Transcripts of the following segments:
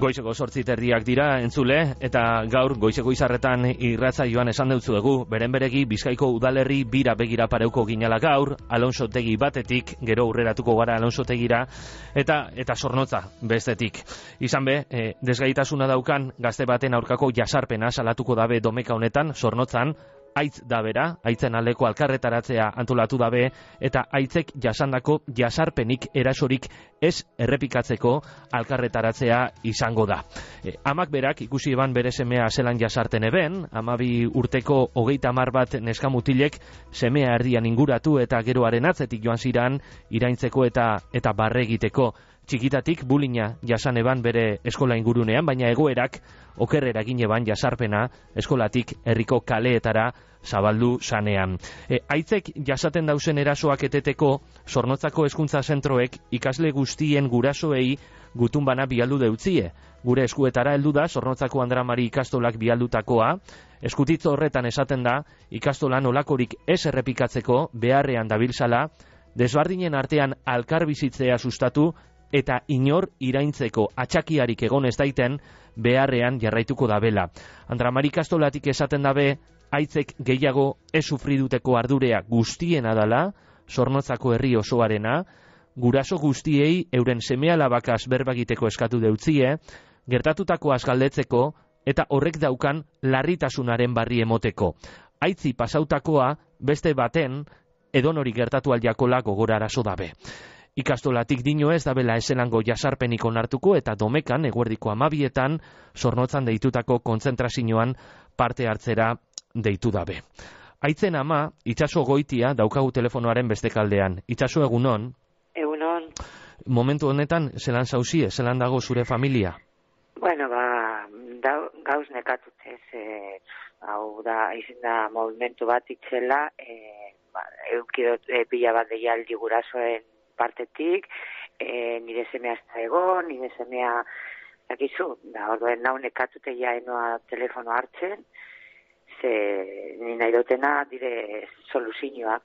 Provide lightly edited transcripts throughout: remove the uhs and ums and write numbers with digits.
Goizeko 8:30 dira entzule, eta gaur goizeko izarretan irratsaioan esan deutzuegu, beren beregi Bizkaiko udalerri bira begira pareuko ginala gaur, Alonsotegi batetik, gero aurreratuko gara Alonsotegira, eta Zornotza bestetik. Izan be, desgaitasuna daukan gazte baten aurkako jasarpena salatuko dabe domeka honetan, Zornotzan, aitz da bera, aitzen aldeko alkarretaratzea antolatu dabe, eta aitzek jasandako jasarpenik erasorik ez errepikatzeko alkarretaratzea izango da. Amak berak ikusi eban bere semea zelan jasarten eben, 12 urteko 30 bat neskamutilek semea erdian inguratu eta geroaren atzetik joan ziran iraintzeko eta barre egiteko. Txikitatik bulina jasan eban bere eskola ingurunean, baina egoerak okerrera egin eban jasarpena eskolatik herriko kaleetara zabaldu zanean. Aitzek jasaten dausen erasoak eteteko Zornotzako hezkuntza zentroek ikasle guztien gurasoei gutun bana bialdu deutzie. Gure eskuetara heldu da Zornotzako Andramari ikastolak bialdutakoa. Eskutitzo horretan esaten da ikastolan olakorik ez errepikatzeko beharrean dabiltzala, desbardinen artean alkarbizitzea sustatu eta inor iraintzeko atxakiarik egon ez daiten beharrean jarraituko dabela. Andramari ikastolatik esaten dabe aitzek gehiago ez sufriduteko ardurea guztiena dala, Zornotzako herri osoarena, guraso guztiei euren seme-alabakaz berbagiteko eskatu deutzie, gertatutako galdetzeko eta horrek daukan larritasunaren barri emoteko. Aitzi pasautakoa beste baten edonori gertatu aldiakola gogorarazo dabe. Ikastolatik dino ez dabela eselango jasarpenik onartuko eta domekan eguerdiko 12etan Zornotzan deitutako kontzentrazioan parte hartzera deitu dabe. Aitzen ama, Itxaso Goitia daukagu telefonoaren beste kaldean. Itxaso, egunon? Egunon. Momentu honetan, zelan zauzie, zelan dago zure familia? Bueno, gauz nekatutez, hau da, izin da movimentu bat itxela, eukidot pila bat deialdi gurasoen partetik, nire semea ez da egon, nire semea dakizu, da orduen nau nekatute jaenoa telefono hartzen, ze ni nahi dutena dire soluzioak,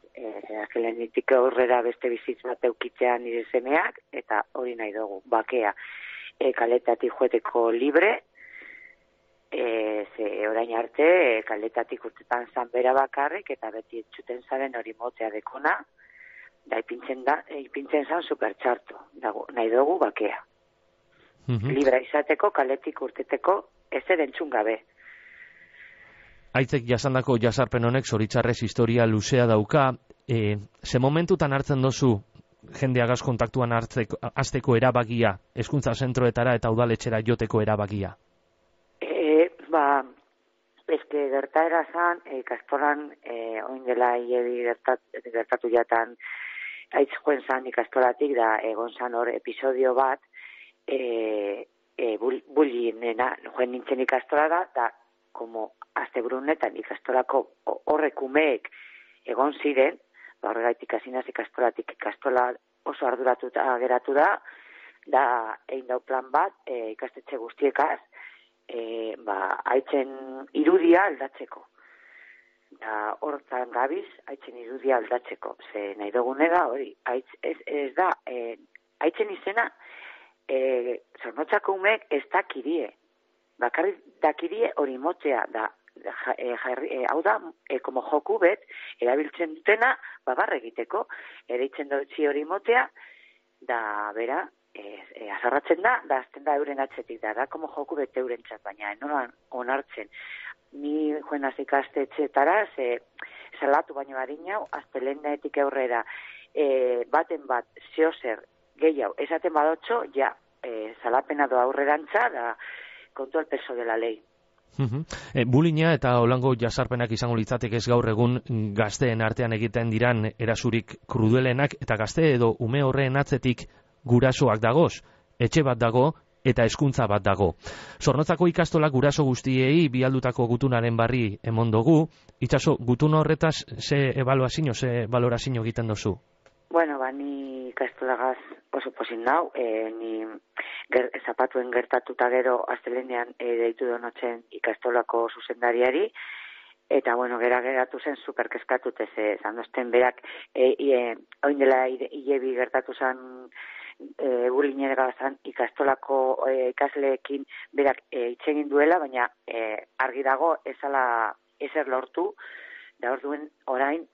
akelenetik aurrera beste bizitz bat eukitzea nire semeak, eta hori nahi dugu, bakea, kaletatik joeteko libre, ze orain arte, kaletatik urtetan zan bera bakarrik, eta beti etxuten zaren hori motea dekona, da ipintzen zan supertxarto, nahi dugu bakea. Libra izateko, kaletik urteteko, ez edentzun gabe. Aitzek jasandako jasarpen honek zoritzarrez historia luzea dauka, ze momentutan hartzen dozu jendeagaz kontaktuan hasteko erabakia, hezkuntza zentroetara eta udaletxera joteko erabakia? Eske gertaera zan, ikastolan, oin dela hiebi gertatu jatan, aitz joen zan ikastolatik, da egon zan hor episodio bat, bulinena, joen nintzen ikastola da, como asteburunetan ikastolako horrek umeek egon ziren, horregaitik hasinaz ikastolatik ikastola oso arduratuta geratu da egin dau plan bat, ikastetxe guztiekaz, aitzen irudia aldatzeko. Da hortan gabiz, aitzen irudia aldatzeko. Ze nahi dugune da hori, ez da, aitzen izena, Zornotzako umeek ez dakirie. Bakarrik dakirie hori motzea da, hau da, como joku bet, erabiltzen dutena, barre egiteko, ereitzen dutzi hori motea, da, bera, azarratzen da azten da euren atzetik, da, como joku bet euren txat, baina enoran onartzen. Ni joen azikastetxetara, salatu baino badinau, aztelenetik aurrera, baten bat, zeozer, gehiago, esaten badotxo, ja, salapena doa aurrerantza, da, kontu al peso de la ley. Bulina eta holango jasarpenak izango litzatek ez gaur egun gazteen artean egiten diran erasurik krudelenak, eta gazte edo ume horreen atzetik gurasoak dagoz, etxe bat dago eta hezkuntza bat dago. Zornotzako ikastolak guraso guztiei bialdutako gutunaren barri emon dugu. Itxaso, gutun horretaz ze ebaluazio, ze valorazio egiten dozu? Bueno, ni ikastolagaz oso posin nau, ni zapatuen gertatuta gero astelenean deitu donotzen ikastolako zuzendariari, eta bueno, geratu zen superkeskatute ze zandosten berak, oin dela hilebi gertatu zen Gulinera zan ikastolako ikasleekin berak hitz egin duela, baina argi dago ezala ezer lortu, da orduen orain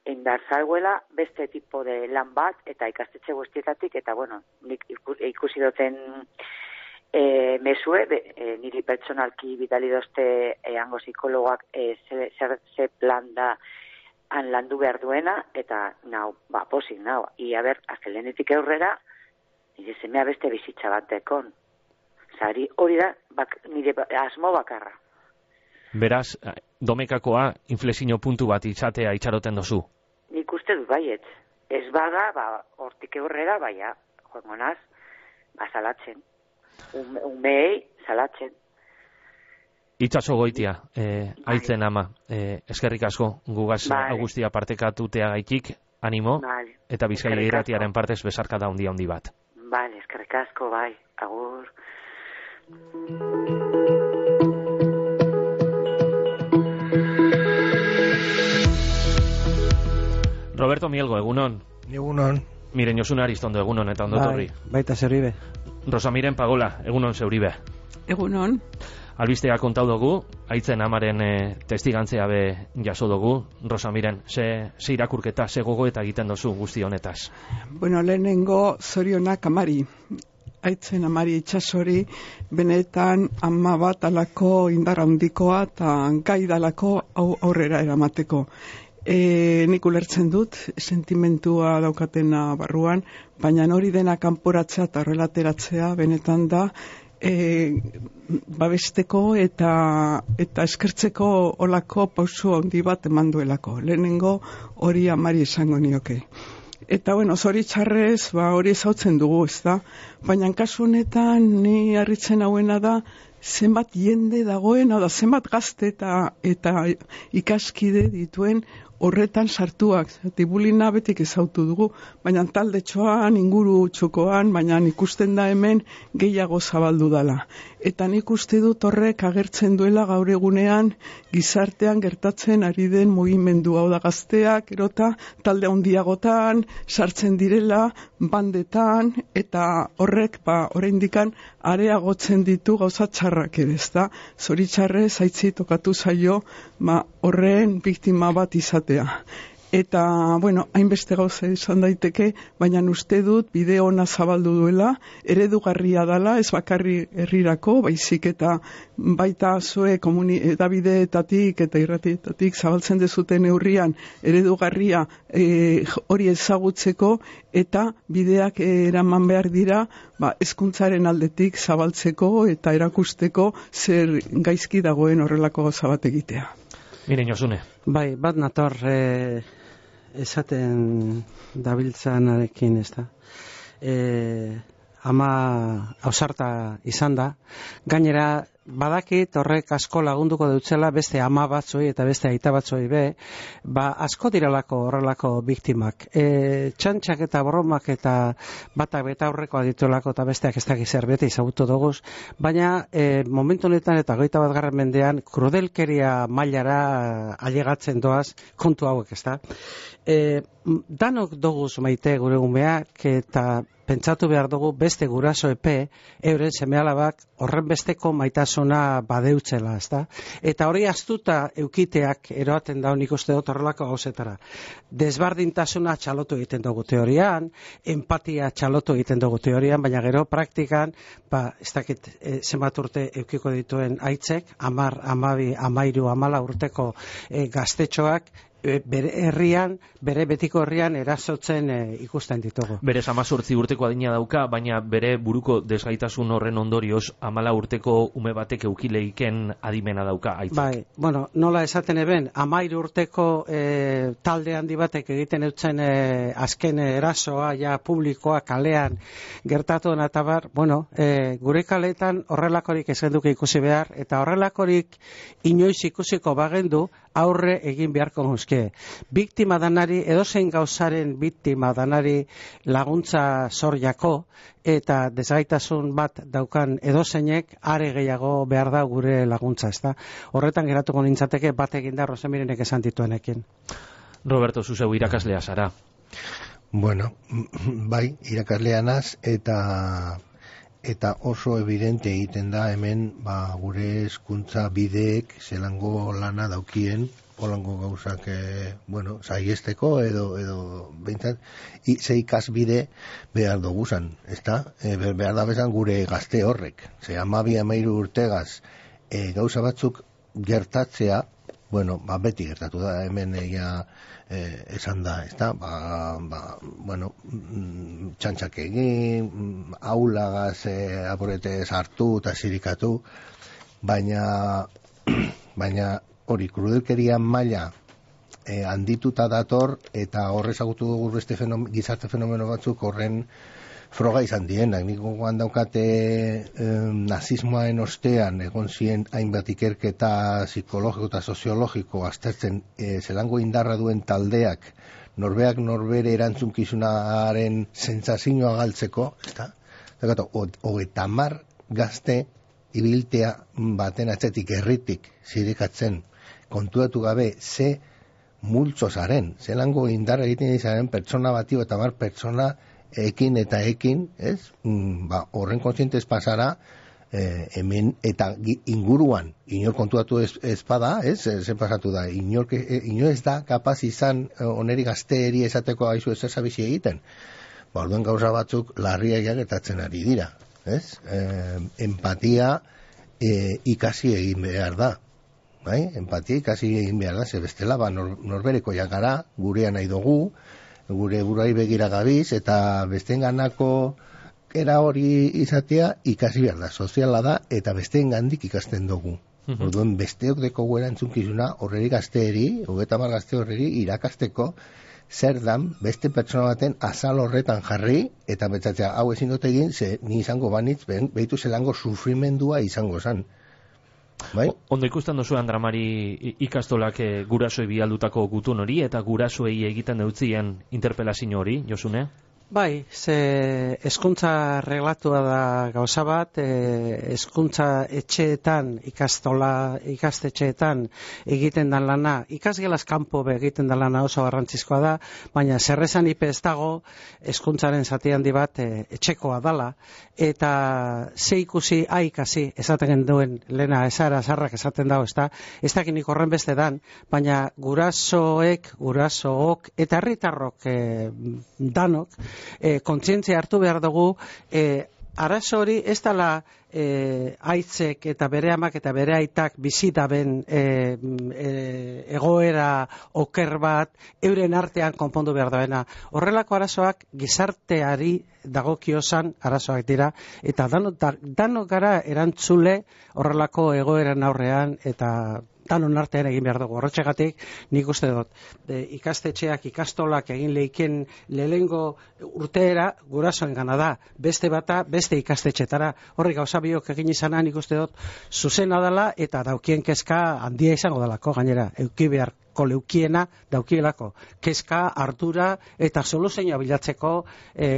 indar zauela beste tipo de lan bat eta ikastetxe guztietatik, eta bueno, nik ikusi duten mesue, niri pertsonalki bidali dozte hango psikologoak ze plan da han landu behar duena, eta nau, posik nau. Ia ber, azkelenetik aurrera, nire semea beste bizitza bat dekon. Zari hori da, nire asmo bakarra. Beraz, domekakoa inflexio puntu bat itxatea itxaroten dozu? Nik uste dut baiet. Ez bada, hortik aurrera, joango naz, salatzen. Umei, salatzen. Itxaso goitia, aitzen ama, eskerrik asko, gugaz guztia partekatutea gaitik, animo, eta Bizkaia Irratiaren partez besarka da handi bat. Bale, eskerrik asko, bai, agur. Roberto Mielgo, egunon. Egunon. Miren Josuna Aristondo, egunon eta ondotorri. Baita zeuribe. Rosamiren Pagola, egunon zeuribe. Egunon. Albistea kontau dugu, aitzen amaren testigantzea be jaso dugu. Rosamiren, ze irakurketa, ze gogoeta egiten dozu guzti honetaz? Bueno, lehenengo zorionak amari. Aitzen amari itxasori, benetan ama bat alako indarra handikoa eta gai dalako aurrera eramateko. Nik ulertzen dut, sentimentua daukatena barruan, baina hori dena kanporatzea eta horrelateratzea benetan da, babesteko eta eskertzeko olako pausu handi bat eman duelako. Lehenengo hori amari esango nioke. Eta bueno, zoritxarrez, hori ezautzen dugu, ez da? Baina kasu honetan ni harritzen hauena da, zenbat jende dagoen, zenbat gazte eta ikaskide dituen horretan sartuak. Tibulina betik ezautu dugu, baina taldetxoan, inguru txokoan, baina ikusten da hemen gehiago zabaldu dala. Eta nik uste dut horrek agertzen duela gaur egunean gizartean gertatzen ari den mugimendu, hau da gazteak, erota talde handiagotan, sartzen direla, bandetan, eta horrek, oraindikan areagotzen ditu gauza txarrak ere, ezta? Zoritxarrez, aitzi tokatu zaio, horren biktima bat izatea. Eta, bueno, hainbeste gauza izan daiteke, baina uste dut bide ona zabaldu duela, eredugarria dala, ez bakarri herrirako, baizik eta baita zue edabideetatik eta irratietatik zabaltzen dezuten neurrian eredugarria hori ezagutzeko eta bideak eraman behar dira hezkuntzaren aldetik zabaltzeko eta erakusteko zer gaizki dagoen horrelako gauza bat egitea. Miren Josune. Bai, bat nator esaten dabiltzanarekin, ez da. Ama ausarta izan da. Gainera, badakit horrek asko lagunduko dutzela beste ama batzoi eta beste aita batzoi be, asko diralako horrelako biktimak. Txantxak eta borromak eta batak beta aurrekoa dituelako eta besteak ez dakiz bete izagutu doguz, baina momentu honetan eta 21. mendean krudelkeria mailara ailegatzen doaz kontu hauek, ez da. Danok doguz maite gure gumeak eta pentsatu behar dugu beste guraso epe euren seme-alabak horren besteko maitasuna badeutzela, ezta? Eta hori astuta eukiteak eroaten da nik uste dut horrelako gauzetara. Desbardintasuna txalotu egiten dugu teorian, empatia txalotu egiten dugu teorian, baina gero praktikan, ez dakit zenbat urte eukiko dituen aitzek, 10, 12, 13, 14 urteko gaztetxoak, bere herrian, bere betiko herrian erasotzen ikusten ditugu. Bere 18 urteko adina dauka, baina bere buruko desgaitasun horren ondorioz 14 urteko ume batek eukileiken adimena dauka aitzak. Bai, bueno, nola esaten eben, 13 urteko talde handi batek egiten eutzen azken erasoa, ja publikoa kalean gertatu eta bar, bueno, gure kaletan horrelakorik ez genduke ikusi behar, eta horrelakorik inoiz ikusiko bagendu aurre egin beharko guzke. Biktima danari, edozein gauzaren biktima danari laguntza zor jako, eta desgaitasun bat daukan edozeinek are gehiago behar da gure laguntza, ezta? Horretan geratuko nintzateke bat eginda Rosamirenek esan dituenekin. Roberto, zuzeu irakaslea zara. Bueno, bai, irakasleanaz eta oso evidente egiten da hemen gure hezkuntza bideek zelango lana daukien, holango gauzak, saiesteko edo behintzat, ze ikasbide behar duguzan, ezta? Behar da bezan gure gazte horrek. Ze 12-13 urtegaz gauza batzuk gertatzea, beti gertatu da, hemen esan da, ezta? Txantxak egin, aulagaz aporete sartu eta zirikatu, baina hori krudelkeria maila handituta dator, eta horrez agutu dugu beste gizarte fenomeno batzuk horren froga izan dienak. Nik gogoan daukate nazismoaren ostean egon ziren hainbat ikerketa psikologiko eta soziologiko aztertzen zelango indarra duen taldeak norbeak norbere erantzunkizunaren sentsazioa galtzeko, ezta? 30 gazte ibiltea baten atzetik herritik zirikatzen kontuatu gabe ze multzozaren, zelango indarra egiten izaren pertsona bati eta pertsona ekin, ez? Horren kontzientez pasara hemen eta inguruan inor kontuatu ez bada, ez? Zer pasatu da, inor ez da kapaz izan oneri gazteeri esateko aizu ez ezabizi egiten. Orduen gauza batzuk larriak gertatzen ari dira, ez? Empatia ikasi egin behar da. Empatia ikasi egin behar da, ze bestela norbereko gara, gurea nahi dugu, gure buruai begira gabiz, eta besteenganako era hori izatea ikasi behar da, soziala da, eta besteengandik ikasten dugu. Orduan besteok deko guera entzunkizuna horreri gazteeri, 30 gazte horreri irakasteko zer dan beste pertsona baten azal horretan jarri, eta betzatzea hau ezin dut egin, ze ni izango banitz, behitu zelango sufrimendua izango zan. Ondo ikusten duzu, Andramari, ikastolak gurasoei bialdutako gutun hori eta gurasoei egiten deutzien interpelazio hori, Josune? Bai, ze hezkuntza reglatua da gauza bat, hezkuntza etxeetan, ikastetxeetan egiten dan lana, ikasgelaz kanpo egiten dan lana oso garrantzizkoa da, baina zerrezan ez dago hezkuntzaren zati handi bat etxekoa dala, eta ze ikusi ikasi esaten duen lehena ezara zarrak esaten dago, ez dakinik horren beste dan, baina gurasook eta herritarrok danok, kontzientzia hartu behar dugu, arazo hori ez dela aitzek eta bere amak eta bere aitak bizitaben egoera oker bat euren artean konpondu behar daena. Horrelako arazoak gizarteari dagokiozan arazoak dira, eta danok gara erantzule horrelako egoeran aurrean, eta danon artean egin behar dugu. Horretxegatik nik uste dut ikastetxeak, ikastolak egin leiken lehengo urteera gurasoen gana da, beste bata beste ikastetxetara. Horri gauza biok egin izana nik uste dut zuzena dela, eta daukien kezka handia izango delako, gainera euki beharko leukiena daukielako kezka, ardura eta soluzioa bilatzeko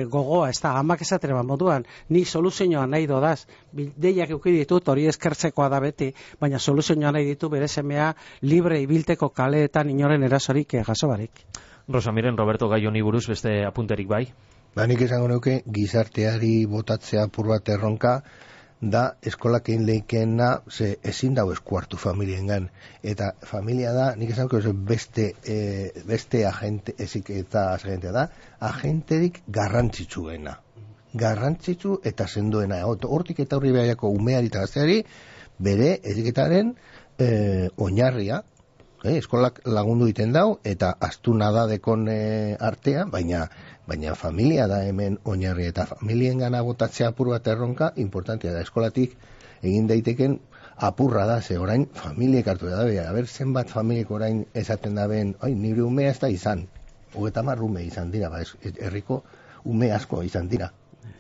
gogoa, ez da, amak esatera moduan, ni soluzioa nahi dodaz, deiak euki ditut, hori eskertzekoa da beti, baina soluzioa nahi ditu bere semea libre ibilteko kaleetan inoren erasorik jaso barik. Rosamiren, Roberto Gai honi buruz beste apunterik bai? Nik esango nuke gizarteari botatzea apur bat erronka da eskolak egin leikeena, ze ezin dago eskuartu familiengan, eta familia da, nik esango beste agente, ezik eta agentea da, agenterik garrantzitsuena. Garrantzitsu eta sendoena. Hortik eta horri behaiako umeari eta gazteari bere eziketaren oinarria, eskolak lagundu iten dau, eta astuna da dekon artean, baina familia da hemen oinarri, eta familien gana botatzea apur bat erronka importantea da. Eskolatik egin daiteken apurra da, ze orain familiek hartu da, haber zenbat familiek orain esaten da ben, nire umea ez da izan, 30 ume izan dira, herriko ume asko izan dira.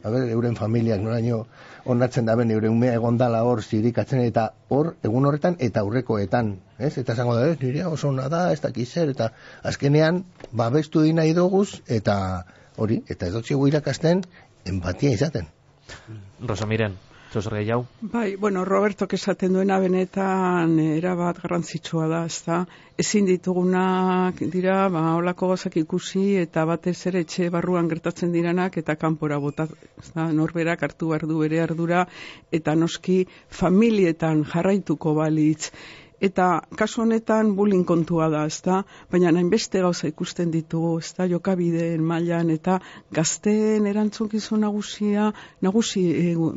Euren familiak noraino onartzen daben euren umea egondala hor zirikatzen, eta hor egun horretan eta aurrekoetan, ez? Eta esango da, nire oso ona da, ez dakiz zer, eta azkenean babestu di nahi doguz, eta hori, eta ez dutxegu irakasten empatia izaten. Rosamiren, Zozer gehiago? Bai, bueno, Robertok esaten duena benetan erabat garrantzitsua da, ezta? Ezin ditugunak dira, holako gauzak ikusi eta batez ere etxe barruan gertatzen diranak eta kanpora bota, ezta? Norberak hartu behar du bere ardura eta noski familietan jarraituko balitz. Eta kasu honetan bullying kontua da, ezta? Baina hainbeste gauza ikusten ditugu, ezta? Jokabideen mailan eta gazteen erantzukizun nagusi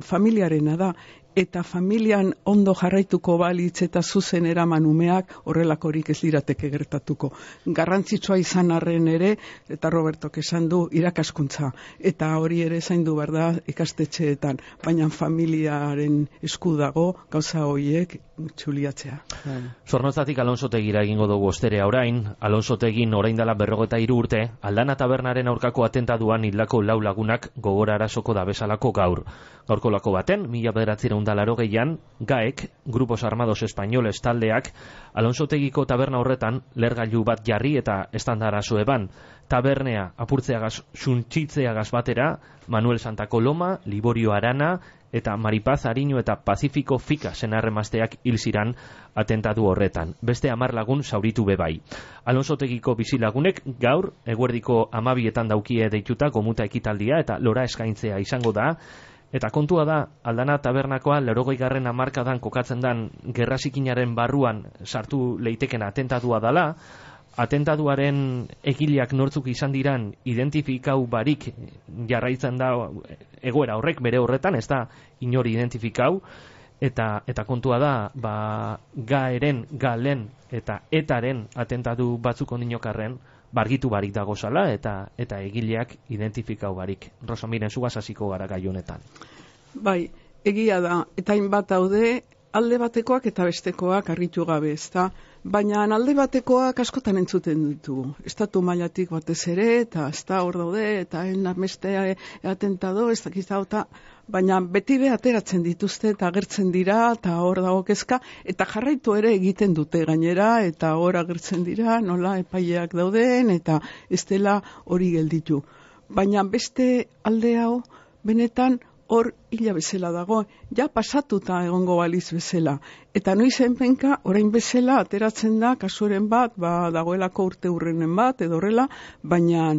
familiarena da. Eta familian ondo jarraituko balitz eta zuzen eraman umeak horrelakorik ez lirateke gertatuko. Garrantzitsua izan arren ere, eta Robertok esan du, irakaskuntza. Eta hori ere zaindu behar da ikastetxeetan, baina familiaren esku dago gauza horiek txuliatzea. Zornotzatik Alonsotegira egingo dugu osterea orain. Alonsotegin orain dela 43 urte, Aldana tabernaren aurkako atentaduan hildako 4 lagunak gogora arasoko dabesalako gaur. Gaurko lako baten, 1980an, GAEK, Grupos Armados Españoles taldeak, Alonsotegiko taberna horretan lergailu bat jarri eta estandarazo eban. Tabernea apurtzeagaz, suntsitzeagaz batera, Manuel Santa Coloma, Liborio Arana eta Maripaz Ariño eta Pacífico Fika senarremazteak hil ziran atentatu horretan. Beste 10 lagun zauritu bebai. Alonsotegiko bizilagunek gaur eguerdiko 12etan daukie deituta gomuta ekitaldia eta lora eskaintzea izango da. Eta kontua da, Aldana tabernakoa 80. hamarkadan kokatzen dan gerrazikinaren barruan sartu leiteken atentatua dala. Atentaduaren egileak nortzuk izan diran identifikau barik jarraitzen da egoera horrek bere horretan, ez da inori identifikau, eta kontua da, galen eta etaren atentatu batzuk ondinokarren bargitu barik dago zala eta egileak identifikau barik. Rosa, miren, zugaz hasiko gara gai honetan. Bai, egia da, eta hainbat daude, alde batekoak eta bestekoak argitu gabe, ezta? Baina alde batekoak askotan entzuten ditugu. Estatu mailatik batez ere, eta ez da hor daude, eta beste atentado, ez dakizta, baina beti be ateratzen dituzte eta agertzen dira, eta hor dago kezka, eta jarraitu ere egiten dute gainera, eta hor agertzen dira, nola epaileak dauden, eta ez dela hori gelditu. Baina beste alde hau, benetan, hor hila bezala dago, ja pasatuta egongo baliz bezala. Eta noizen penka, orain bezala, ateratzen da, kasuren bat, dagoelako urte hurrenen bat, edo horrela, baina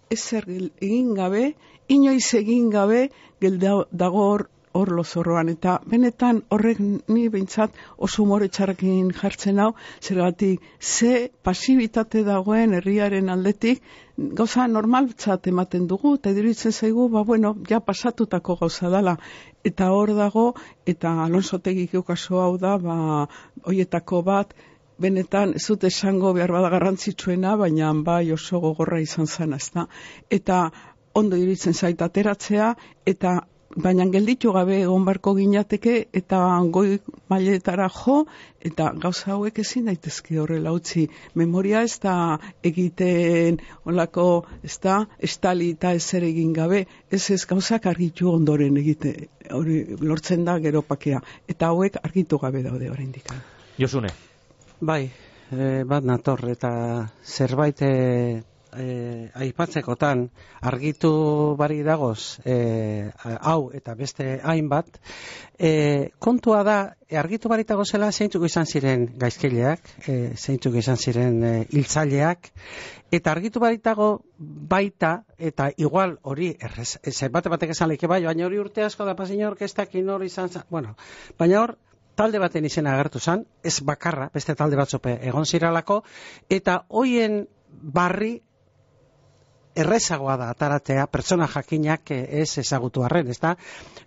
ezer egin gabe, inoiz egin gabe, dago hor lozorroan. Eta benetan horrek ni behintzat oso umore txarrakin jartzen hau, zergatik ze pasibitate dagoen herriaren aldetik, gauza normaltzat ematen dugu, eta iruditzen zaigu, ja pasatutako gauza dela. Eta hor dago, eta Alonsotegiko kaso hau da, hoietako bat, benetan ez dut esango behar bada garrantzitsuena, baina bai oso gogorra izan zen, ezta. Eta ondo iruditzen zait ateratzea, eta baina gelditu gabe egon barko ginateke eta goi mailetara jo, eta gauza hauek ezin daitezke horrela utzi. Memoria ez da egiten olako, ez da, estali eta ezer egin gabe, ez gauzak argitu ondoren egite, hori lortzen da gero pakea. Eta hauek argitu gabe daude oraindik. Josune. Bai, bat nator, eta zerbait aipatzekotan argitu bari dagoz hau eta beste hainbat, kontua da argitu barik dagozela zeintzuk izan ziren gaizkileak, zeintzuk izan ziren hiltzaileak, eta argitu barik dago baita, eta igual hori batek esan leke bai, baina hori urte asko da pasin orkestak inor izan zen, baina hor talde baten izena agertu zen, ez bakarra, beste talde batzope egon ziralako, eta hoien barri errezagoa da ataratea pertsona jakinak ez ezagutu arren, ezta?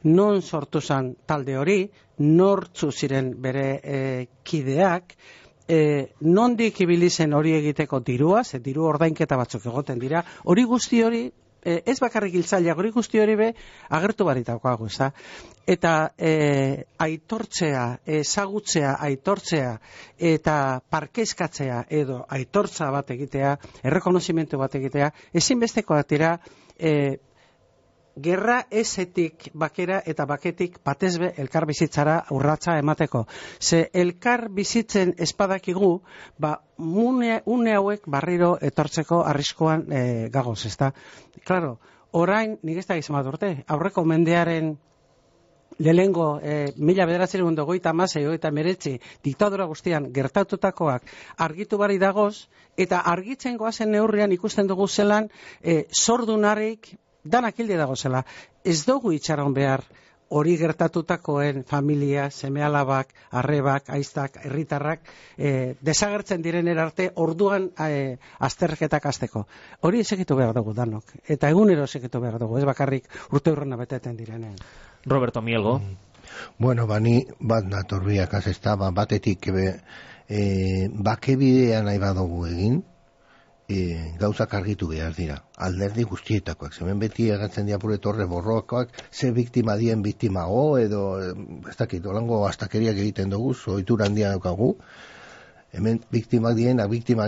Non sortu zen talde hori, nortzu ziren bere kideak, nondik ibili zen hori egiteko dirua, ze diru ordainketa batzuk egoten dira, hori guzti hori, ez bakarrik hiltzaileak, hori guzti hori be agertu baritakoago, ezta? Eta aitortzea, ezagutzea, aitortzea eta parkezkatzea edo aitortza bat egitea, errekonozimentu bat egitea, ezinbestekoak dira gerra ezetik bakera eta baketik batezbe elkar bizitzara urratsa emateko. Ze elkar bizitzen espadakigu, une hauek barriro etortzeko arriskuan gagoz, ezta? Claro, orain, nik ez da izan bat urte, aurreko mendearen lehengo 1956 diktadura guztian gertatutakoak argitu bari dagoz, eta argitzen goazen neurrian ikusten dugu zelan sordunarik danak hilde dagozela. Ez dugu itxaron behar hori gertatutakoen familia, seme-alabak, arrebak, aiztak, herritarrak desagertzen direnera arte orduan azterketak hasteko. Hori esekitu behar dugu danok, eta egunero esekitu behar dugu, ez bakarrik urte hurrena beteten direnean. Roberto Mielgo. Bueno, bani bat natorbiak azesta, batetik bakebidea nahi badugu egin, gauzak argitu behar dira, alderdi guztietakoak, zemen beti egatzen dira pure torre borrokoak, ze biktima dien biktima edo, ez dakit, olango astakeriak egiten dugu, zoitura handia daukagu, hemen biktimak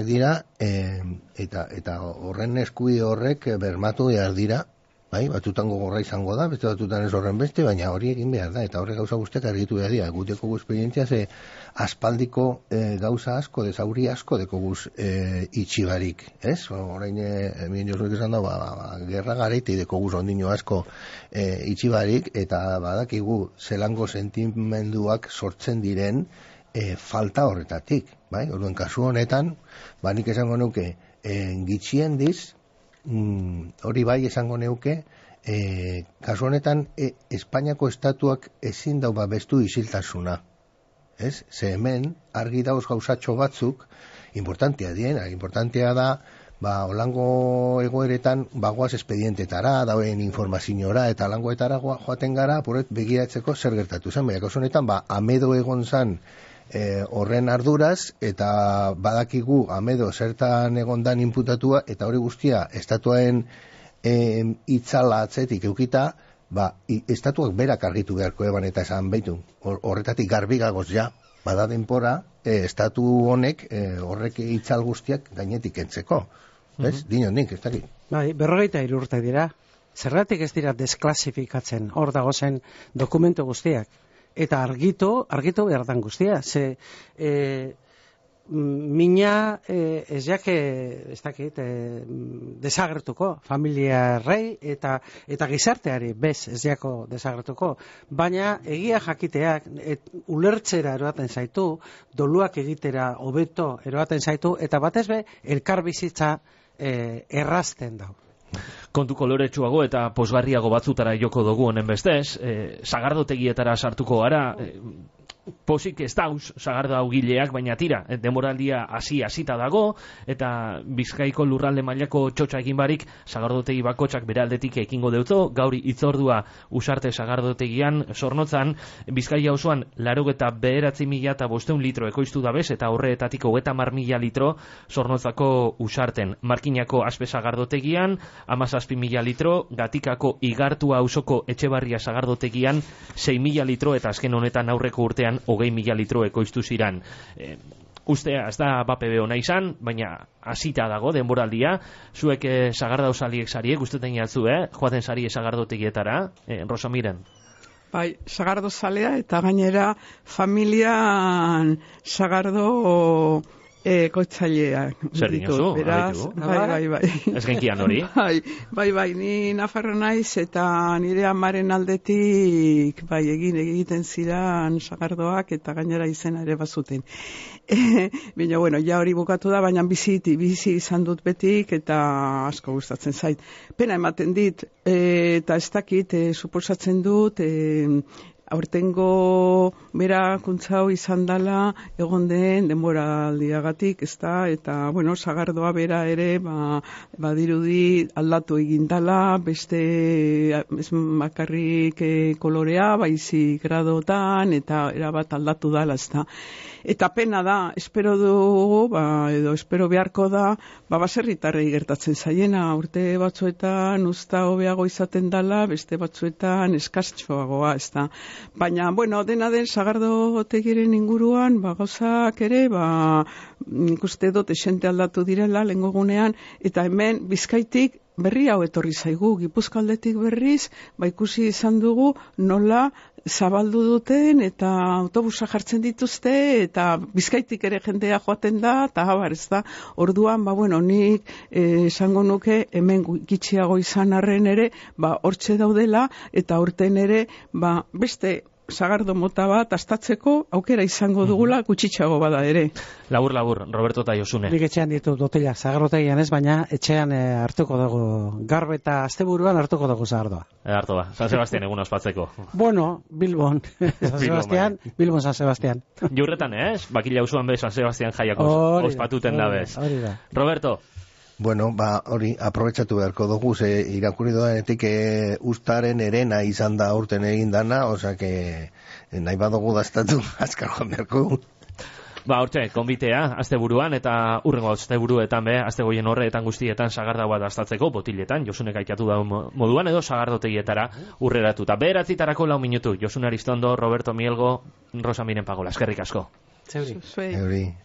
dira, eta horren eskubide horrek bermatu behar dira, bai, batzutan gogorra izango da, beste batzutan ez horren beste, baina hori egin behar da, eta horre gauza guztiak argitu behar dira. Guteko gu esperientzia ze aspaldiko gauza asko, dezauri asko deko guz itxibarik, ez? Horain, mien jozuek esan da, gerra gareiti deko guz ondino asko itxibarik, eta badakigu zelango sentimenduak sortzen diren falta horretatik, bai? Orduan, kasu honetan, nik esango nuke, gitxiendiz, hori bai esango neuke, kasu honetan Espainiako estatuak ezin dau babestu isiltasuna. Ez? Ze hemen argi dauz gauzatxo batzuk importantea da olango egoeretan bagoaz espedientetara, dauen informaziora eta langoetara joaten gara, apuret begiratzeko zer gertatu zen. Baina kasu honetan amedo egon zan horren arduraz, eta badakigu amedo zertan egondan inputatua, eta hori guztia estatuaren itzala atzetik eukita, estatuak berak argitu beharko eban eta esan baitu. Horretatik garbigagoz ja, bada denpora, estatu honek horrek itzal guztiak gainetik entzeko. Ez? Dino nik, ez dakit. Bai, 43 urte dira. Zergatik ez dira desklasifikatzen hor dagozen dokumentu guztiak. Eta argitu behar dan guztia. Ze mina ez jake, ez dakit, desagertuko familiarrei eta gizarteari bez ez jako desagertuko. Baina egia jakiteak ulertzera eroaten zaitu, doluak egitera hobeto eroaten zaitu, eta batez be elkar bizitza errazten dau. Kontu koloretsuago eta posgarriago batzutara joko dugu honen bestez, sagardotegietara sartuko gara, posik ez dauz sagardo gileak, baina tira, demoraldia hasita dago, eta Bizkaiko lurralde mailako txotxa egin barik, sagardotegi bakotxak bere aldetik ekingo deuto, gauri itzordua usarte sagardotegian Zornotzan, Bizkaia osoan 89.500 litro ekoiztu dabez, eta horreetatik 30.000 litro Zornotzako usarten. Markinako aspe sagardotegian 17.000 litro, Gatikako Igartua auzoko Etxebarria sagardotegian 6.000 litro, eta azken honetan aurreko urtean 20.000 litro ekoiztu ziran. Ustea, ez da BPB ona izan, baina hasita dago denboraldia. Zuek sagardauzaliek sariek, usteten jatzu, joaten sari sagardotegietara, Rosamiren? Bai, sagardo zalea eta gainera familian sagardo kotzaileak. Zer dinozu? Bai. Ez genkian hori? Bai, ni nafarro naiz eta nire amaren aldetik egiten zidan sagardoak eta gainera izena ere bazuten. Baina, bueno, ja hori bukatu da, baina bizi izan dut betik eta asko gustatzen zait. Pena ematen dit, eta ez dakit, suposatzen dut, aurtengo berakuntza hau izan dela egon den denboraldiagatik, ezta, eta bueno, sagardoa bera ere badirudi aldatu egin dela, beste ez bakarrik kolorea, baizik gradotan, eta erabat aldatu dela, ezta. Eta pena da, espero dugu, edo espero beharko da, baserritarrei gertatzen zaiena, urte batzuetan usta hobeago izaten dela, beste batzuetan eskastxoagoa, ezta. Baina, bueno, dena den sagardotegiren inguruan, gauzak ere, nik uste dut esente aldatu direla, lehengo gunean, eta hemen Bizkaitik berri hau etorri zaigu, Gipuzkoaldetik berriz, ikusi izan dugu nola zabaldu duten eta autobusa jartzen dituzte eta Bizkaitik ere jendea joaten da eta abar, ez da. Orduan, nik esango nuke hemen gitxiago izan arren ere, hortxe daudela eta urten ere, beste sagardo mota bat astatzeko aukera izango dugula gutxitxago bada ere. Labur, Roberto eta Josune. Nik etxean ditut botilak, sagardotegian ez, baina etxean hartuko dugu, gaur eta asteburuan hartuko dugu sagardoa. Hartu San Sebastian egun ospatzeko. Bueno, Bilbon, Bilbon San Sebastian. Jurretan, Bakila usuan San Sebastian jaiak ospatuten da bez. Roberto. Bueno, hori, aprobetsatu beharko dugu, irakurri doanetik ustaren erena izan da urten egin dana, que nahi badugu daztatu, azkar joan beharko. Hortxe, konbitea, asteburuan, eta urrengo asteburuetan astegoien horreetan guztietan sagarda bat astatzeko, botiletan, Josunek aitatu da moduan, edo sagardotegietara urreratuta. 9:00 4 minutu, Josune Aristondo, Roberto Mielgo, Rosa Miren Pagola, eskerrik asko. Zeuri. Zeuri.